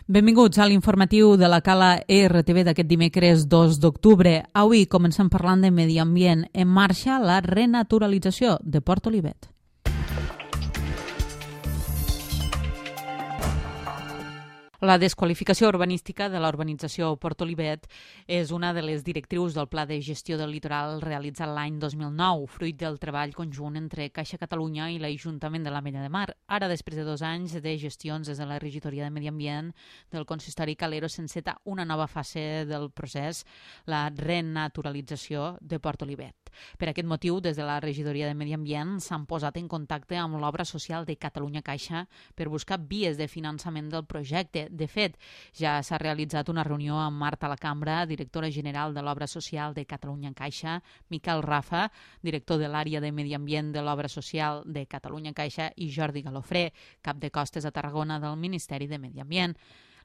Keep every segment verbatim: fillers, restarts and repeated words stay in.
Benvinguts a l'informatiu de la Cala E R T V d'aquest dimecres dos d'octubre. Avui comencem parlant de medi ambient. En marxa la renaturalització de Port Olivet. La desqualificació urbanística de la urbanització Port Olivet és una de les directrius del Pla de Gestió del Litoral realitzat l'any dos mil nou, fruit del treball conjunt entre Caixa Catalunya i l'Ajuntament de l'Ametlla de Mar. Ara, després de dos anys de gestions des de la regidoria de Medi Ambient del consistori Calero, s'enceta una nova fase del procés, la renaturalització de Port Olivet. Per aquest motiu, des de la regidoria de Medi Ambient s'han posat en contacte amb l'obra social de Catalunya Caixa per buscar vies de finançament del projecte. De fet, ja s'ha realitzat una reunió amb Marta Lacambra, directora general de l'Obra Social de Catalunya Caixa, Miquel Rafa, director de l'àrea de Medi Ambient de l'Obra Social de Catalunya Caixa, i Jordi Galofré, cap de costes a Tarragona del Ministeri de Medi Ambient.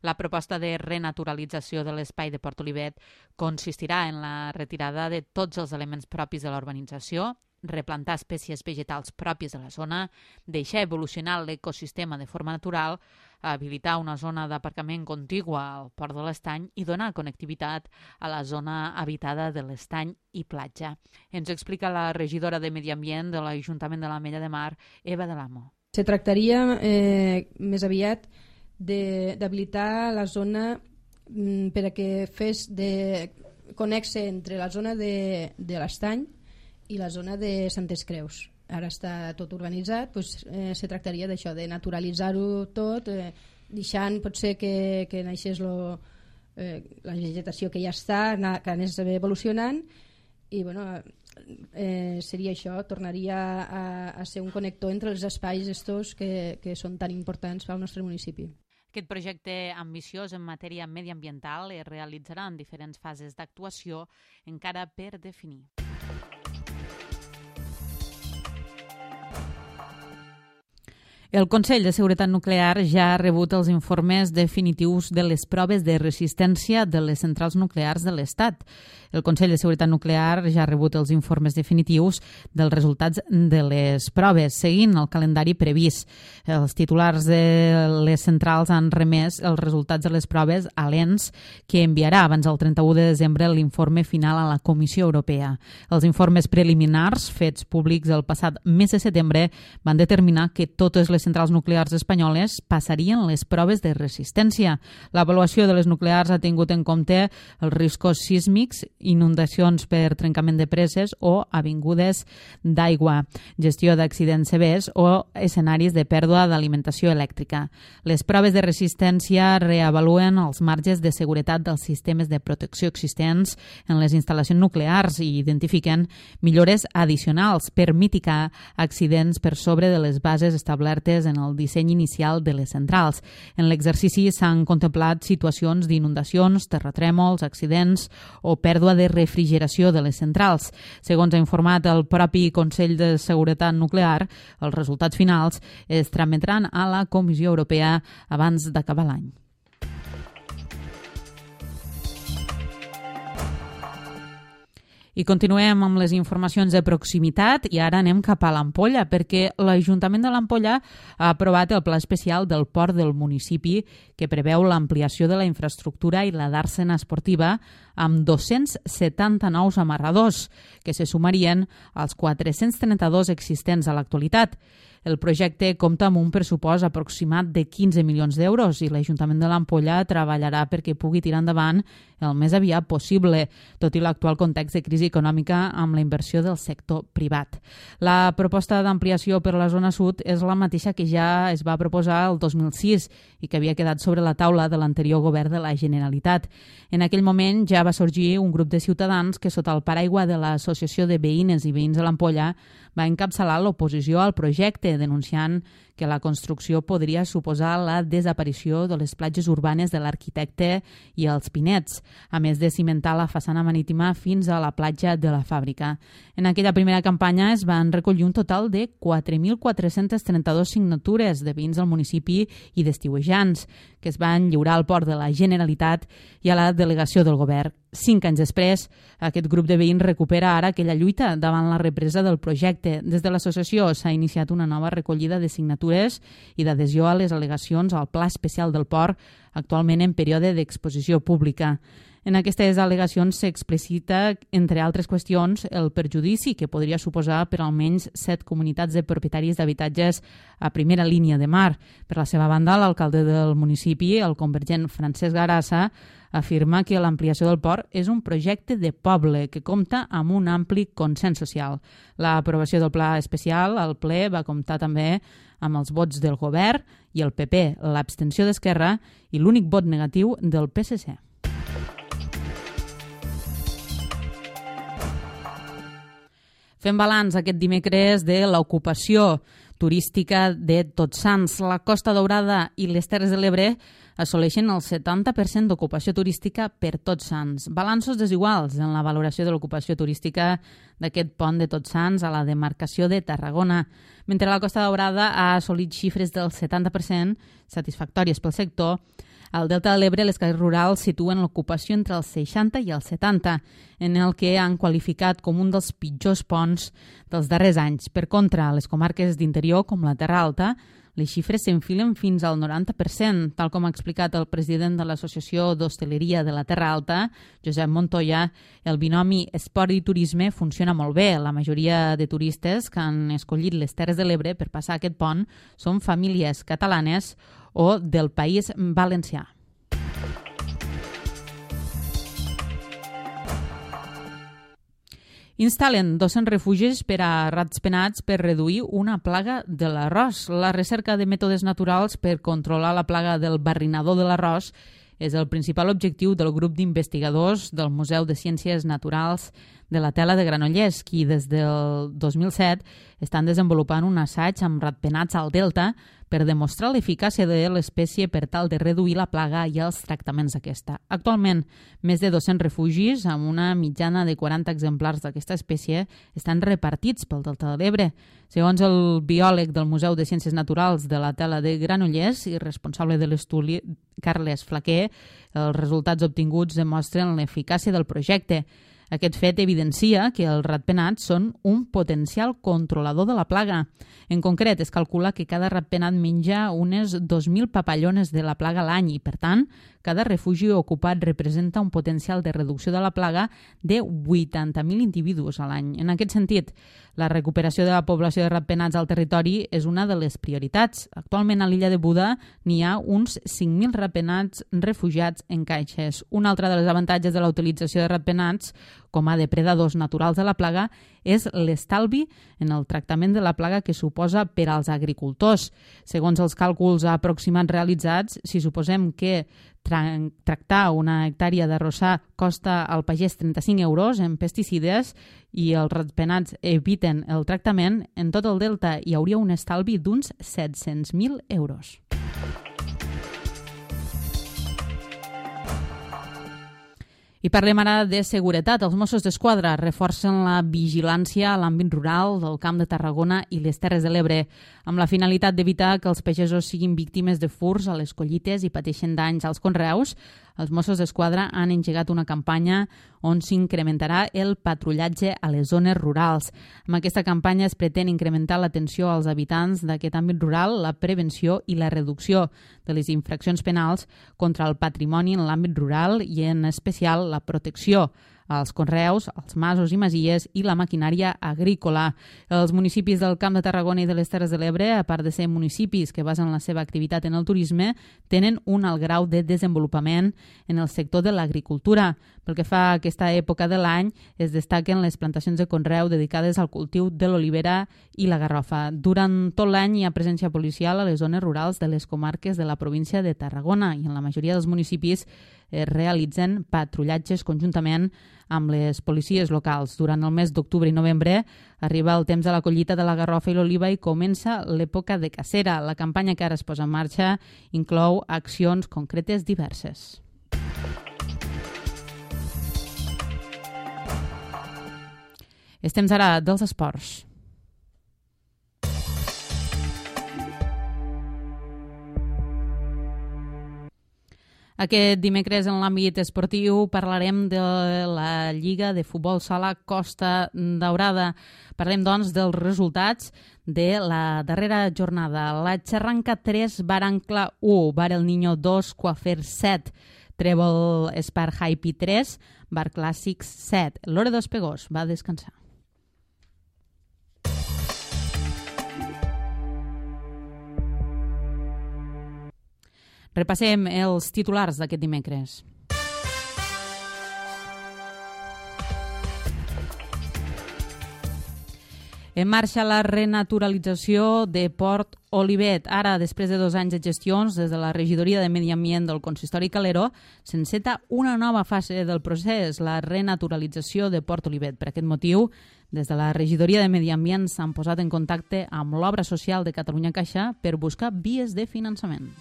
La proposta de renaturalització de l'espai de Port Olivet consistirà en la retirada de tots els elements propis de la urbanització, replantar espècies vegetals pròpies de la zona, deixar evolucionar l'ecosistema de forma natural, habilitar una zona d'aparcament contigua al Port de l'Estany i donar connectivitat a la zona habitada de l'Estany i platja. Ens explica la regidora de Medi Ambient de l'Ajuntament de l'Ametlla de Mar, Eva de l'Amo. Se tractaria eh, més aviat d'habilitar la zona mm, per a que fes de connexe entre la zona de, de l'Estany i la zona de Santes Creus. Ara està tot urbanitzat, doncs, eh, se tractaria d'això, de naturalitzar-ho tot, eh, deixant potser que, que naixés lo, eh, la vegetació que ja està, que anés evolucionant, i bueno, eh, seria això, tornaria a, a ser un connector entre els espais estos que, que són tan importants pel nostre municipi. Aquest projecte ambiciós en matèria mediambiental es realitzarà en diferents fases d'actuació encara per definir. El Consell de Seguretat Nuclear ja ha rebut els informes definitius de les proves de resistència de les centrals nuclears de l'Estat. El Consell de Seguretat Nuclear ja ha rebut els informes definitius dels resultats de les proves, seguint el calendari previst. Els titulars de les centrals han remès els resultats de les proves a l'E N S, que enviarà abans del trenta-u de desembre l'informe final a la Comissió Europea. Els informes preliminars, fets públics el passat mes de setembre, van determinar que totes les centrals nuclears espanyoles passarien les proves de resistència. L'avaluació de les nuclears ha tingut en compte els riscos sísmics, inundacions per trencament de preses o avingudes d'aigua, gestió d'accidents severs o escenaris de pèrdua d'alimentació elèctrica. Les proves de resistència reavaluen els marges de seguretat dels sistemes de protecció existents en les instal·lacions nuclears i identifiquen millores addicionals per mitigar accidents per sobre de les bases establertes en el disseny inicial de les centrals. En l'exercici s'han contemplat situacions d'inundacions, terratrèmols, accidents o pèrdua de refrigeració de les centrals. Segons ha informat el propi Consell de Seguretat Nuclear, els resultats finals es trametran a la Comissió Europea abans d'acabar l'any. I continuem amb les informacions de proximitat i ara anem cap a l'Ampolla perquè l'Ajuntament de l'Ampolla ha aprovat el pla especial del port del municipi que preveu l'ampliació de la infraestructura i la dàrsena esportiva amb dos-cents setanta nous amarradors que se sumarien als quatre-cents trenta-dos existents a l'actualitat. El projecte compta amb un pressupost aproximat de quinze milions d'euros i l'Ajuntament de l'Ampolla treballarà perquè pugui tirar endavant el més aviat possible, tot i l'actual context de crisi econòmica amb la inversió del sector privat. La proposta d'ampliació per la zona sud és la mateixa que ja es va proposar el dos mil sis i que havia quedat sobre la taula de l'anterior govern de la Generalitat. En aquell moment ja va sorgir un grup de ciutadans que sota el paraigua de l'Associació de Veïnes i Veïns de l'Ampolla va encapçalar l'oposició al projecte, denunciant que la construcció podria suposar la desaparició de les platges urbanes de l'Arquitecte i els Pinets, a més de cimentar la façana marítima fins a la platja de la Fàbrica. En aquella primera campanya es van recollir un total de quatre mil quatre-cents trenta-dos signatures de veïns del municipi i d'estiuejants, que es van lliurar al port de la Generalitat i a la delegació del govern. Cinc anys després, aquest grup de veïns recupera ara aquella lluita davant la represa del projecte. Des de l'associació s'ha iniciat una nova recollida de signatures signatures i d'adhesió a les al·legacions al Pla Especial del Port, actualment en període d'exposició pública. En aquestes al·legacions s'explicita, entre altres qüestions, el perjudici que podria suposar per almenys set comunitats de propietaris d'habitatges a primera línia de mar. Per la seva banda, l'alcalde del municipi, el convergent Francesc Garassa, afirma que l'ampliació del port és un projecte de poble que compta amb un ampli consens social. L'aprovació del pla especial al ple va comptar també amb els vots del govern i el P P, l'abstenció d'Esquerra i l'únic vot negatiu del P S C. Fem balanç aquest dimecres de l'ocupació turística de Tots Sants. La Costa Daurada i les Terres de l'Ebre assoleixen el setanta per cent d'ocupació turística per Tots Sants. Balanços desiguals en la valoració de l'ocupació turística d'aquest pont de Tots Sants a la demarcació de Tarragona. Mentre la Costa Daurada ha assolit xifres del setanta per cent, satisfactòries pel sector, al Delta de l'Ebre les cases rurals situen l'ocupació entre el seixanta i el setanta, en el que han qualificat com un dels pitjors ponts dels darrers anys. Per contra, a les comarques d'interior, com la Terra Alta, les xifres s'enfilen fins al noranta per cent, tal com ha explicat el president de l'Associació d'Hostaleria de la Terra Alta, Josep Montoya. El binomi esport i turisme funciona molt bé. La majoria de turistes que han escollit les Terres de l'Ebre per passar aquest pont són famílies catalanes o del País Valencià. Instal·len dos-cents refugis per a rats-penats per reduir una plaga de l'arròs. La recerca de mètodes naturals per controlar la plaga del barrinador de l'arròs és el principal objectiu del grup d'investigadors del Museu de Ciències Naturals de la Tela de Granollers, qui des del dos mil set estan desenvolupant un assaig amb ratpenats al Delta per demostrar l'eficàcia de l'espècie per tal de reduir la plaga i els tractaments d'aquesta. Actualment, més de dos-cents refugis, amb una mitjana de quaranta exemplars d'aquesta espècie, estan repartits pel Delta de l'Ebre. Segons el biòleg del Museu de Ciències Naturals de la Tela de Granollers i responsable de l'estudi, Carles Flaquer, els resultats obtinguts demostren l'eficàcia del projecte. Aquest fet evidencia que els ratpenats són un potencial controlador de la plaga. En concret, es calcula que cada ratpenat menja unes dos mil papallones de la plaga a l'any i, per tant, cada refugi ocupat representa un potencial de reducció de la plaga de vuitanta mil individus a l'any. En aquest sentit, la recuperació de la població de ratpenats al territori és una de les prioritats. Actualment a l'illa de Buda n'hi ha uns cinc mil ratpenats refugiats en caixes. Un altre dels avantatges de la utilització de ratpenats com a depredadors naturals de la plaga és l'estalvi en el tractament de la plaga que suposa per als agricultors. Segons els càlculs aproximats realitzats, si suposem que tra tractar una hectàrea d'arrossar costa al pagès trenta-cinc euros en pesticides i els ratpenats eviten el tractament, en tot el delta hi hauria un estalvi d'uns set-cents mil euros. I parlem ara de seguretat. Els Mossos d'Esquadra reforcen la vigilància a l'àmbit rural del Camp de Tarragona i les Terres de l'Ebre, amb la finalitat d'evitar que els pagesos siguin víctimes de furts a les collites i pateixen danys als conreus. Els Mossos d'Esquadra han engegat una campanya on s'incrementarà el patrullatge a les zones rurals. Amb aquesta campanya es pretén incrementar l'atenció als habitants d'aquest àmbit rural, la prevenció i la reducció de les infraccions penals contra el patrimoni en l'àmbit rural i, en especial, la protecció als conreus, als masos i masies i la maquinària agrícola. Els municipis del Camp de Tarragona i de les Terres de l'Ebre, a part de ser municipis que basen la seva activitat en el turisme, tenen un alt grau de desenvolupament en el sector de l'agricultura. Pel que fa a aquesta època de l'any, es destaquen les plantacions de conreu dedicades al cultiu de l'olivera i la garrofa. Durant tot l'any hi ha presència policial a les zones rurals de les comarques de la província de Tarragona i en la majoria dels municipis es realitzen patrullatges conjuntament amb les policies locals. Durant el mes d'octubre i novembre arriba el temps de la collita de la garrofa i l'oliva i comença l'època de cacera. La campanya que ara es posa en marxa inclou accions concretes diverses. És temps ara dels esports. Aquest dimecres en l'àmbit esportiu parlarem de la Lliga de Futbol Sala Costa Daurada. Parlem, doncs, dels resultats de la darrera jornada. La Xarranca tres, Barancla u, Bar El Niño dos, Coafer set, Trèvol Espar Hype tres, Bar Clàssics set. L'Hora dos Pegós va descansar. Repassem els titulars d'aquest dimecres. En marxa la renaturalització de Port Olivet. Ara, després de dos anys de gestions, des de la Regidoria de Medi Ambient del Consistori Calero, s'enceta una nova fase del procés, la renaturalització de Port Olivet. Per aquest motiu, des de la Regidoria de Medi Ambient s'han posat en contacte amb l'Obra Social de Catalunya Caixa per buscar vies de finançament.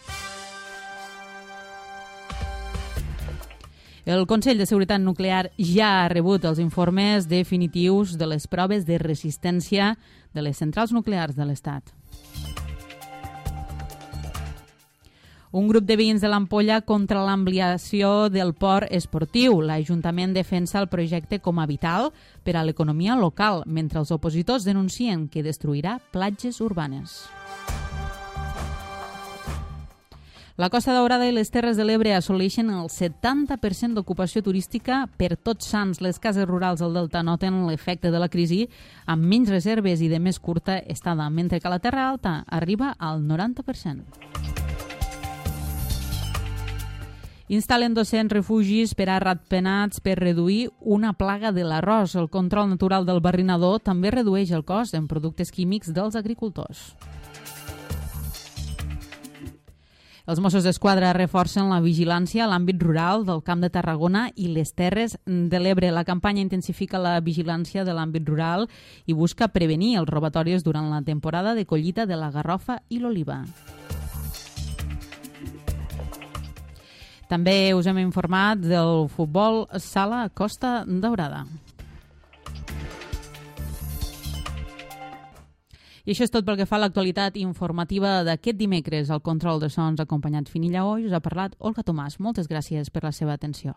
El Consell de Seguretat Nuclear ja ha rebut els informes definitius de les proves de resistència de les centrals nuclears de l'Estat. Un grup de veïns de l'Ampolla contra l'ampliació del port esportiu. L'Ajuntament defensa el projecte com a vital per a l'economia local, mentre els opositors denuncien que destruirà platges urbanes. La Costa Daurada i les Terres de l'Ebre assoleixen el setanta per cent d'ocupació turística per Tots Sants. Les cases rurals del Delta noten l'efecte de la crisi amb menys reserves i de més curta estada, mentre que la Terra Alta arriba al noranta per cent. Instal·len dos-cents refugis per a ratpenats per reduir una plaga de l'arròs. El control natural del barrinador també redueix el cost en productes químics dels agricultors. Els Mossos d'Esquadra reforcen la vigilància a l'àmbit rural del Camp de Tarragona i les Terres de l'Ebre. La campanya intensifica la vigilància de l'àmbit rural i busca prevenir els robatoris durant la temporada de collita de la garrofa i l'oliva. També us hem informat del futbol sala Costa Daurada. I això és tot pel que fa a l'actualitat informativa d'aquest dimecres. Al control de sons acompanyat Finilla Oi us ha parlat Olga Tomàs. Moltes gràcies per la seva atenció.